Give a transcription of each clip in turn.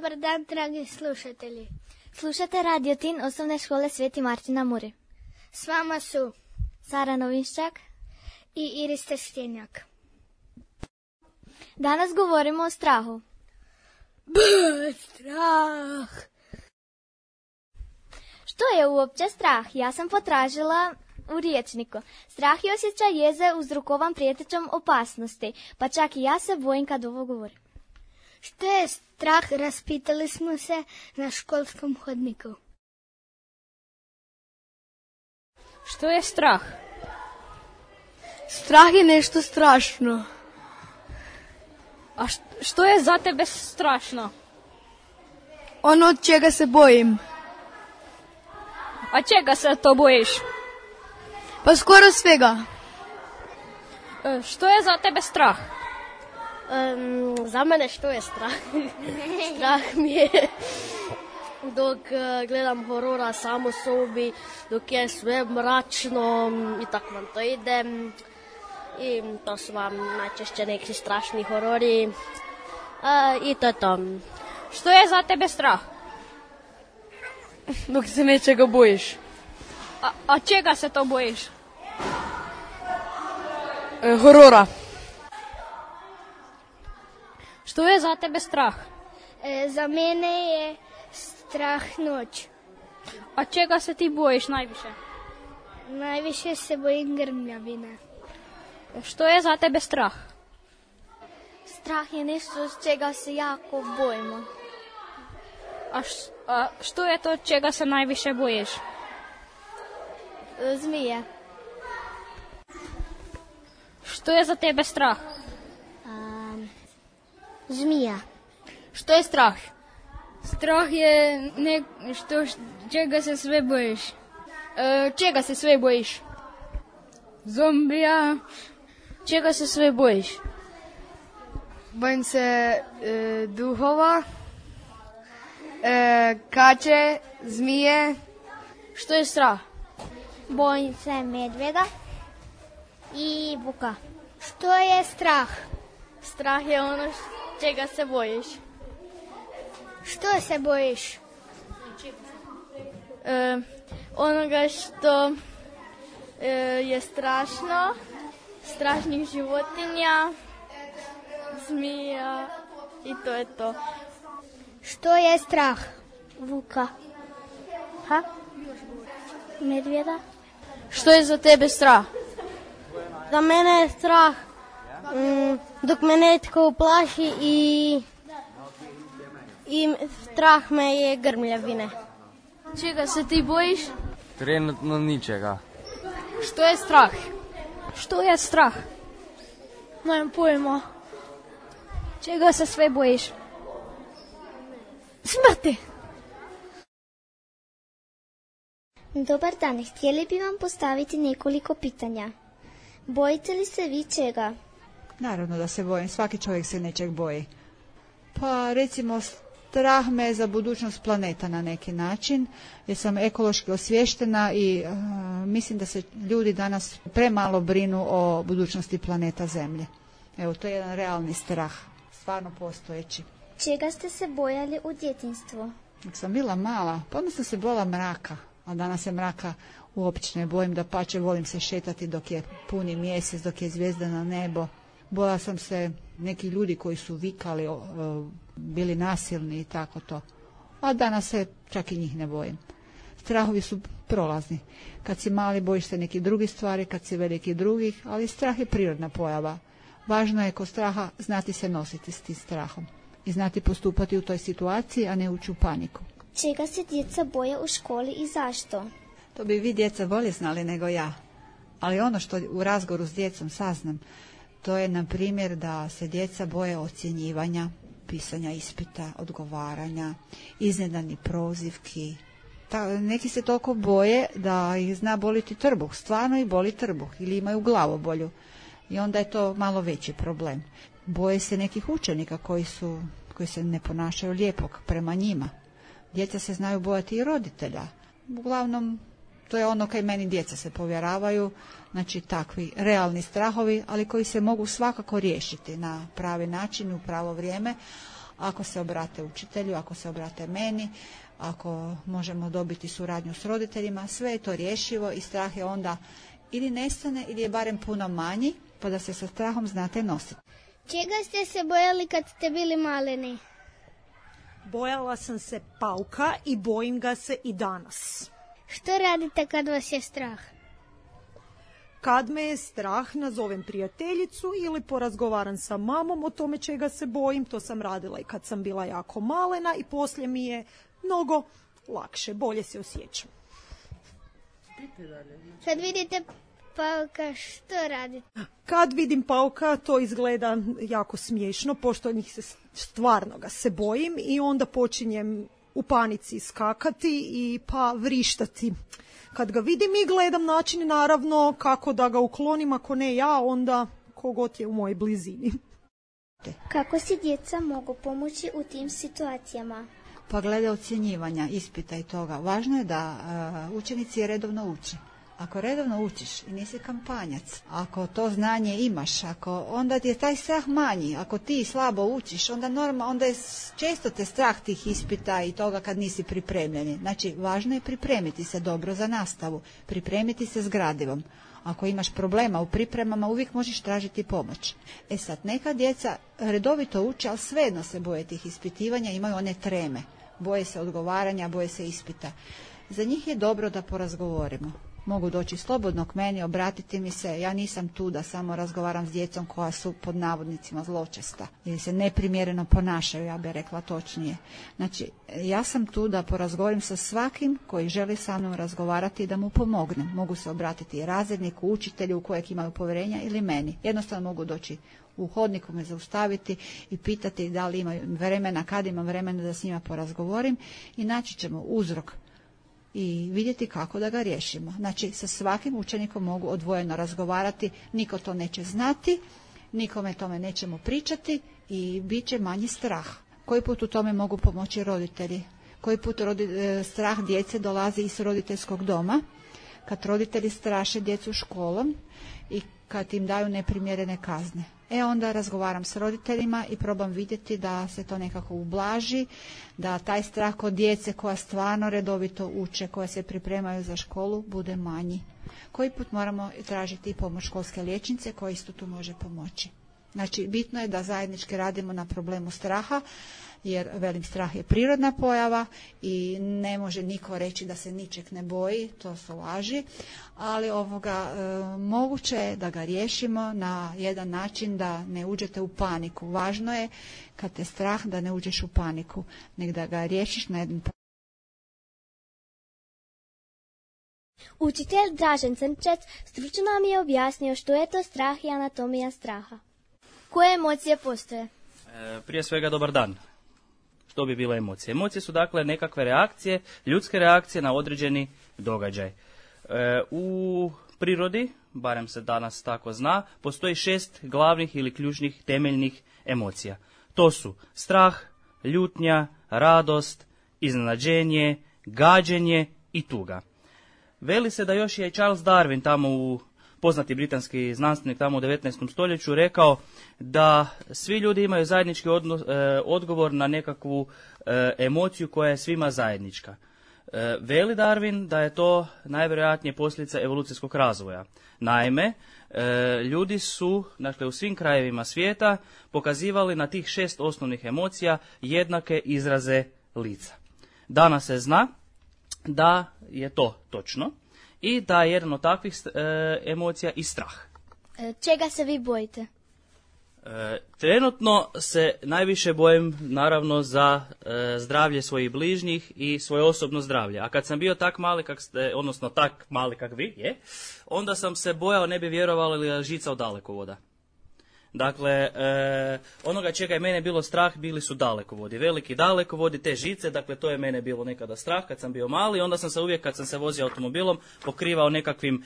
Dobar dan, dragi slušatelji. Slušate Radio Tin osnovne škole Sveti Martin na Muri. S vama su Sara Novinščak i Iris Trstjenjak. Danas govorimo o strahu. Strah. Što je uopće strah? Ja sam potražila u rječniku. Strah je osjećaj jeze uzrokovan prijetećom opasnosti, pa čak i ja se bojim kad ovo govorim. Što je strah? Raspitali smo se na školskom hodniku. Što je strah? Strah je nešto strašno. A što je za tebe strašno? Ono od čega se bojim. A čega se to bojiš? Pa skoro svega. Što je za tebe strah? Za mene što je strah? Strah mi je dok gledam horora sam u sobi, dok je sve mračno i tako vam to ide. I to su vam najčešće neki strašni horori. I to je to. Što je za tebe strah? Dok se nečega bojiš. A čega se to bojiš? Horora. Što je za tebe strah? Za mene je strah noć. A čega se ti bojiš najviše? Najviše se bojim grmljavine. Što je za tebe strah? Strah je nešto s čega se jako bojimo. A što je to čega se najviše bojiš? Zmije. Što je za tebe strah? Zmija. Što je strah? Strah je nešto čega se sve bojiš. Čega se sve bojiš? Zombija. Čega se sve bojiš? Bojim se duhova, kače, zmije. Što je strah? Bojim se medvjeda i vuka. Što je strah? Strah je ono čega se bojiš. Što se bojiš? Onoga što je strašno, strašnih životinja, zmija i to je to. Što je strah? Vuka. Medvjeda. Što je za tebe strah? Za mene je strah dok me netko uplaši i strah me je grmljavine. Čega se ti bojiš? Trenutno ničega. Što je strah? Što je strah? Nemam pojma. Čega se sve bojiš? Smrti. Dobar dan, htjeli bi vam postaviti nekoliko pitanja. Bojite li se vi čega? Naravno da se bojim, svaki čovjek se nečeg boji. Pa recimo strah me za budućnost planeta na neki način, jer sam ekološki osviještena i mislim da se ljudi danas premalo brinu o budućnosti planeta Zemlje. Evo, to je jedan realni strah, stvarno postojeći. Čega ste se bojali u djetinjstvu? Dok sam bila mala, pa onda sam se bojala mraka, a danas se mraka uopće ne bojim, dapače volim se šetati dok je puni mjesec, dok je zvijezdano nebo. Bojala sam se neki ljudi koji su vikali, bili nasilni i tako to. A danas se čak i njih ne bojim. Strahovi su prolazni. Kad si mali bojiš se nekih drugih stvari, kad si veliki drugih, ali strah je prirodna pojava. Važno je kod straha znati se nositi s tim strahom i znati postupati u toj situaciji, a ne ući u paniku. Čega se djeca boje u školi i zašto? To bi vi djeca bolje znali nego ja. Ali ono što u razgovoru s djecom saznam, to je na primjer da se djeca boje ocjenjivanja, pisanja ispita, odgovaranja, iznenadnih prozivki. Neki se toliko boje da ih zna boliti trbuh, stvarno ih boli trbuh ili imaju glavobolju. I onda je to malo veći problem. Boje se nekih učenika koji se ne ponašaju lijepo prema njima. Djeca se znaju bojati i roditelja. Uglavnom, to je ono kaj meni djeca se povjeravaju, znači takvi realni strahovi, ali koji se mogu svakako riješiti na pravi način, u pravo vrijeme. Ako se obrate učitelju, ako se obrate meni, ako možemo dobiti suradnju s roditeljima, sve je to rješivo i strah je onda ili nestane ili je barem puno manji, pa da se sa strahom znate nositi. Čega ste se bojali kad ste bili maleni? Bojala sam se pauka i bojim ga se i danas. Što radite kad vas je strah? Kad me je strah, nazovem prijateljicu ili porazgovaram sa mamom o tome čega se bojim. To sam radila i kad sam bila jako malena i poslije mi je mnogo lakše, bolje se osjećam. Kad vidite pauka, što radite? Kad vidim pauka, to izgleda jako smiješno, pošto njih se stvarno ga se bojim i onda počinjem u panici skakati i pa vrištati. Kad ga vidim i gledam način, naravno, kako da ga uklonim, ako ne ja, onda kogod je u mojoj blizini. Kako si djeca mogu pomoći u tim situacijama? Pa glede ocjenjivanja, ispita i toga, važno je da učenici redovno uče. Ako redovno učiš i nisi kampanjac, ako to znanje imaš, onda ti je taj strah manji. Ako ti slabo učiš, onda je često te strah tih ispita i toga kad nisi pripremljeni. Znači, važno je pripremiti se dobro za nastavu, pripremiti se s gradivom. Ako imaš problema u pripremama, uvijek možeš tražiti pomoć. Sad, neka djeca redovito uče, ali svejedno se boje tih ispitivanja, imaju one treme. Boje se odgovaranja, boje se ispita. Za njih je dobro da porazgovorimo. Mogu doći slobodno k meni, obratiti mi se, ja nisam tu da samo razgovaram s djecom koja su pod navodnicima zločesta ili se neprimjereno ponašaju, ja bih rekla točnije. Znači, ja sam tu da porazgovorim sa svakim koji želi sa mnom razgovarati i da mu pomognem. Mogu se obratiti i razredniku, učitelju u kojeg imaju povjerenja ili meni. Jednostavno mogu doći u hodniku, me zaustaviti i pitati da li imaju vremena, kad imam vremena da s njima porazgovorim i naći ćemo uzrok i vidjeti kako da ga riješimo. Znači, sa svakim učenikom mogu odvojeno razgovarati, niko to neće znati, nikome tome nećemo pričati i bit će manji strah. Koji put u tome mogu pomoći roditelji? Koji put strah djece dolazi iz roditeljskog doma, kad roditelji straše djecu školom i kad im daju neprimjerene kazne. Onda razgovaram s roditeljima i probam vidjeti da se to nekako ublaži, da taj strah kod djece koja stvarno redovito uče, koja se pripremaju za školu, bude manji. Koji put moramo tražiti i pomoć školske liječnice koja isto tu može pomoći. Znači, bitno je da zajednički radimo na problemu straha, jer velim, strah je prirodna pojava i ne može niko reći da se ničeg ne boji, to su laži, ali moguće je da ga riješimo na jedan način da ne uđete u paniku. Važno je kad te strah da ne uđeš u paniku, nego da ga riješiš na jedan. Učitelj Dražen Crnčec stručno nam je objasnio što je to strah i anatomija straha. Koje emocije postoje? Prije svega dobar dan. Što bi bile emocije? Emocije su dakle nekakve reakcije, ljudske reakcije na određeni događaj. U prirodi, barem se danas tako zna, postoji 6 glavnih ili ključnih temeljnih emocija. To su strah, ljutnja, radost, iznenađenje, gađenje i tuga. Veli se da još je Charles Darwin tamo poznati britanski znanstvenik tamo u 19. stoljeću rekao da svi ljudi imaju zajednički odgovor na nekakvu emociju koja je svima zajednička. Veli Darwin da je to najvjerojatnije posljedica evolucijskog razvoja. Naime, ljudi su, dakle, u svim krajevima svijeta pokazivali na tih 6 osnovnih emocija jednake izraze lica. Danas se zna da je to točno i da je jedan od takvih emocija i strah. Čega se vi bojite? Trenutno se najviše bojim naravno za zdravlje svojih bližnjih i svoje osobno zdravlje. A kad sam bio tak mali kak vi, onda sam se bojao, ne bi vjerovali, li žica od dalekovoda. Dakle, onoga čega je mene bilo strah bili su dalekovodi, veliki dalekovodi, te žice, dakle to je mene bilo nekada strah kad sam bio mali, onda sam se uvijek kad sam se vozio automobilom pokrivao nekakvim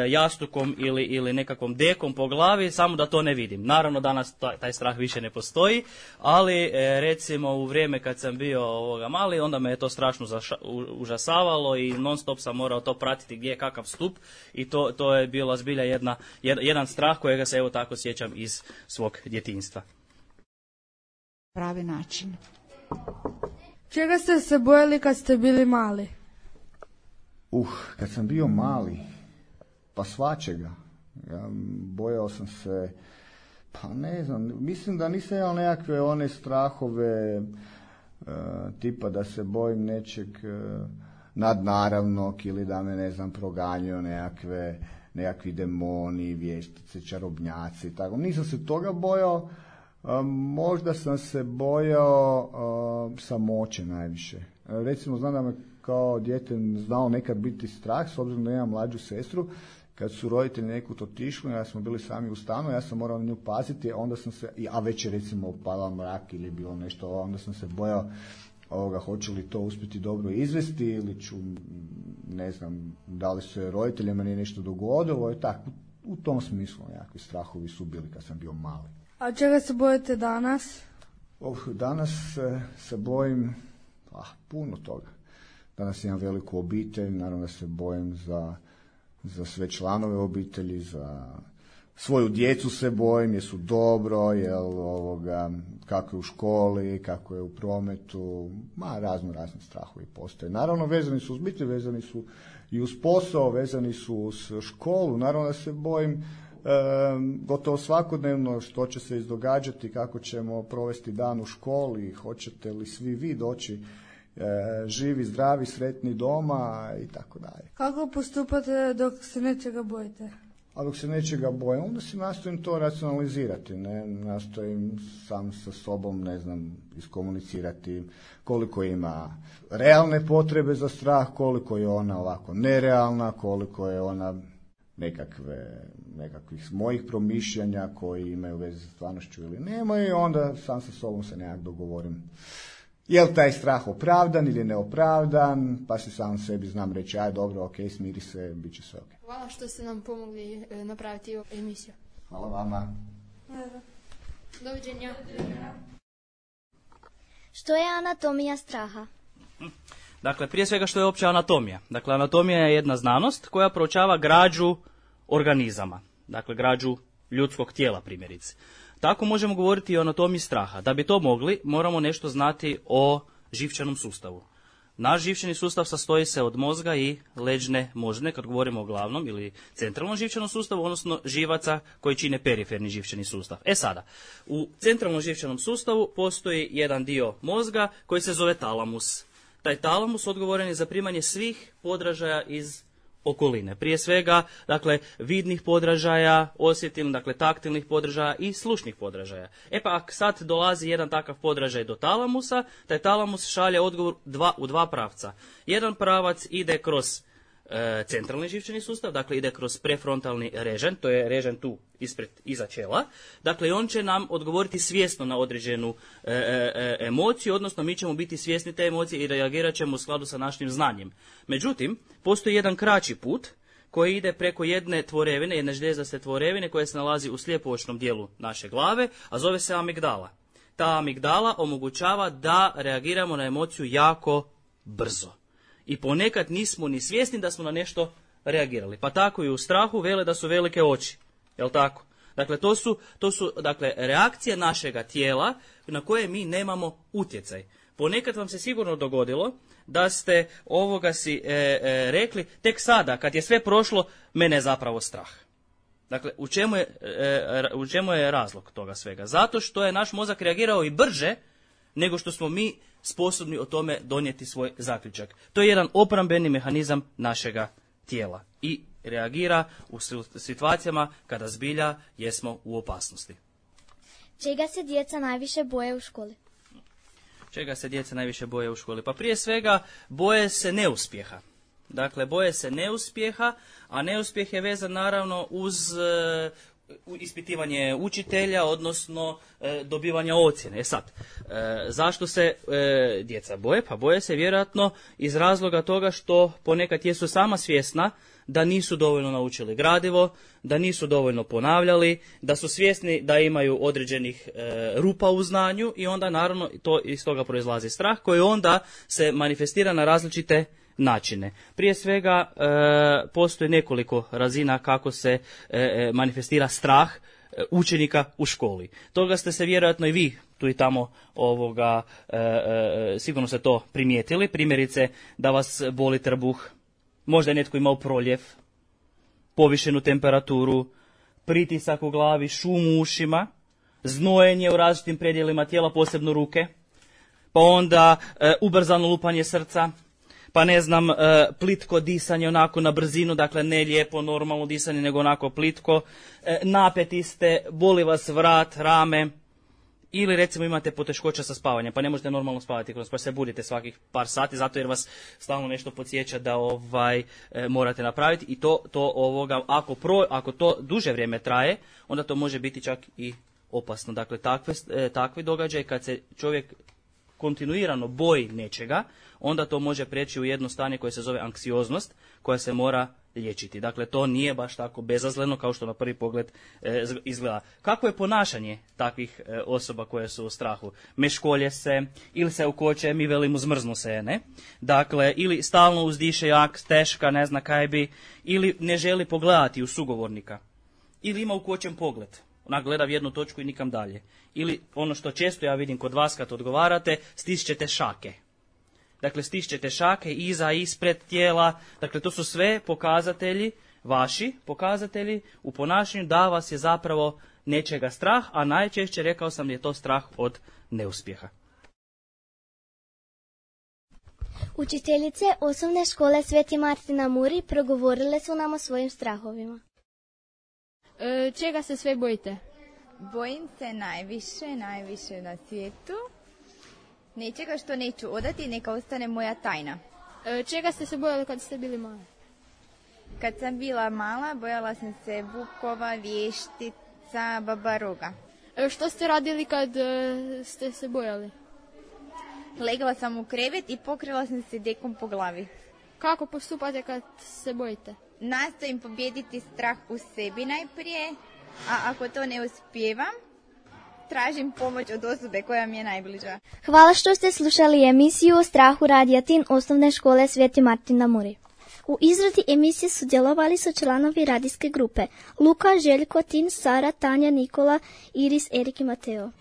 jastukom ili nekakvom dekom po glavi, samo da to ne vidim. Naravno danas taj strah više ne postoji, ali recimo u vrijeme kad sam bio mali, onda me je to strašno užasavalo i non stop sam morao to pratiti gdje je kakav stup i to je bila zbilja jedan strah kojega se evo tako sjećam iz svog djetinjstva. pravi način. Čega ste se bojali kad ste bili mali? Kad sam bio mali, pa svačega. Ja bojao sam se, pa ne znam, mislim da nisam imao nekakve one strahove tipa da se bojim nečeg nadnaravnog ili da me, ne znam, proganjaju nekakvi demoni, vještice, čarobnjaci, tako. Nisam se toga bojao, možda sam se bojao samoće najviše. Recimo, znam da me kao dijete znao nekad biti strah, s obzirom da imam mlađu sestru, kad su roditelji nekud otišli, ja smo bili sami u stanu, ja sam morao na nju paziti, onda sam se, a već je recimo upadao mrak ili bilo nešto, onda sam se bojao hoće li to uspjeti dobro izvesti ili ću, ne znam, da li se roditeljima nije nešto dogodilo i tako. U tom smislu nekakvi strahovi su bili kad sam bio mali. A čega se bojite danas? Danas se bojim puno toga. Danas imam veliku obitelj, naravno da se bojim za sve članove obitelji, za svoju djecu se bojim, jesu dobro, kako je u školi, kako je u prometu, razni strahovi postoje. Naravno, vezani su uz obitelj, vezani su i uz posao, vezani su uz školu. Naravno da se bojim gotovo svakodnevno što će se izdogađati, kako ćemo provesti dan u školi, hoćete li svi vi doći živi, zdravi, sretni doma i tako dalje. Kako postupate dok se nečega bojite? A dok se nečega bojim, onda si nastojim to racionalizirati, ne? Nastojim sam sa sobom, ne znam, iskomunicirati koliko ima realne potrebe za strah, koliko je ona ovako nerealna, koliko je ona nekakvih mojih promišljanja koji imaju veze sa stvarnošću ili nemaju, i onda sam sa sobom se nekak dogovorim. Je li taj strah opravdan ili neopravdan, pa si sam sebi znam reći, aj dobro, ok, smiri se, bit će sve ok. Hvala što ste nam pomogli napraviti ovu emisiju. Hvala vama. Doviđenja. Što je anatomija straha? Dakle, prije svega što je opća anatomija. Dakle, anatomija je jedna znanost koja proučava građu organizama. Dakle, građu ljudskog tijela, primjerice. Tako možemo govoriti i o anatomiji straha. Da bi to mogli, moramo nešto znati o živčanom sustavu. Naš živčani sustav sastoji se od mozga i leđne moždine, kad govorimo o glavnom ili centralnom živčanom sustavu, odnosno živaca koji čine periferni živčani sustav. Sada, u centralnom živčanom sustavu postoji jedan dio mozga koji se zove talamus. Taj talamus odgovoran je za primanje svih podražaja iz okoline. Prije svega, dakle, vidnih podražaja, osjetilnih, dakle, taktilnih podražaja i slušnih podražaja. Pa ako sad dolazi jedan takav podražaj do talamusa, taj talamus šalje odgovor u dva pravca. Jedan pravac ide kroz centralni živčani sustav, dakle ide kroz prefrontalni režen, to je režen tu iza čela, dakle i on će nam odgovoriti svjesno na određenu emociju, odnosno mi ćemo biti svjesni te emocije i reagirat ćemo u skladu sa našim znanjem. Međutim, postoji jedan kraći put koji ide preko jedne tvorevine, jedne žljezdaste tvorevine koja se nalazi u slijepo-očnom dijelu naše glave, a zove se amigdala. Ta amigdala omogućava da reagiramo na emociju jako brzo. I ponekad nismo ni svjesni da smo na nešto reagirali. Pa tako i u strahu vele da su velike oči. Jel' tako? Dakle, to su dakle, reakcije našega tijela na koje mi nemamo utjecaj. Ponekad vam se sigurno dogodilo da ste ovoga si rekli tek sada, kad je sve prošlo, mene je zapravo strah. Dakle, u čemu je razlog toga svega? Zato što je naš mozak reagirao i brže nego što smo mi sposobni o tome donijeti svoj zaključak. To je jedan obrambeni mehanizam našega tijela i reagira u situacijama kada zbilja jesmo u opasnosti. Čega se djeca najviše boje u školi? Čega se djeca najviše boje u školi? Pa prije svega boje se neuspjeha. Dakle, boje se neuspjeha, a neuspjeh je vezan naravno uz ispitivanje učitelja, odnosno dobivanje ocjene. Sad, zašto se djeca boje? Pa boje se vjerojatno iz razloga toga što ponekad jesu sama svjesna da nisu dovoljno naučili gradivo, da nisu dovoljno ponavljali, da su svjesni da imaju određenih rupa u znanju i onda naravno to iz toga proizlazi strah koji onda se manifestira na različite načine. Prije svega postoji nekoliko razina kako se manifestira strah učenika u školi. Toga ste se vjerojatno i vi tu i tamo sigurno ste to primijetili. Primjerice da vas boli trbuh, možda je netko imao proljev, povišenu temperaturu, pritisak u glavi, šum u ušima, znojenje u različitim predjelima tijela, posebno ruke, pa onda ubrzano lupanje srca, pa ne znam, plitko disanje onako na brzinu, dakle ne lijepo, normalno disanje, nego onako plitko, napeti ste, boli vas vrat, rame, ili recimo imate poteškoća sa spavanjem, pa ne možete normalno spavati, pa se budite svakih par sati, zato jer vas stalno nešto podsjeća da morate napraviti i ako to duže vrijeme traje, onda to može biti čak i opasno. Dakle, takvi događaj kad se čovjek kontinuirano boji nečega, onda to može prijeći u jedno stanje koje se zove anksioznost, koja se mora liječiti. Dakle, to nije baš tako bezazleno kao što na prvi pogled izgleda. Kakvo je ponašanje takvih osoba koje su u strahu? Meškolje se, ili se ukoče, mi velimo zmrznu se, ne? Dakle, ili stalno uzdiše jak, teška, ne zna kaj bi, ili ne želi pogledati u sugovornika, ili ima ukočen pogled. Ona gleda v jednu točku i nikam dalje. Ili ono što često ja vidim kod vas kad odgovarate, stišćete šake. Dakle, stišćete šake iza, ispred tijela. Dakle, to su sve pokazatelji, vaši pokazatelji u ponašanju da vas je zapravo nečega strah, a najčešće, rekao sam, je to strah od neuspjeha. Učiteljice osnovne škole Sveti Martin na Muri progovorile su nam o svojim strahovima. Čega se sve bojite? Bojim se najviše na svijetu. Nečega što neću odati, neka ostane moja tajna. Čega ste se bojali kad ste bili mali? Kad sam bila mala, bojala sam se vukova, vještica, babaroga. Što ste radili kad ste se bojali? Legla sam u krevet i pokrila sam se dekom po glavi. Kako postupate kad se bojite? Nastojim pobijediti strah u sebi najprije, a ako to ne uspijevam, tražim pomoć od osobe koja mi je najbliža. Hvala što ste slušali emisiju o strahu Radija Tin osnovne škole Sveti Martin na Muri. U izradi emisije sudjelovali su članovi radijske grupe Luka, Željko, Tin, Sara, Tanja, Nikola, Iris, Erik i Mateo.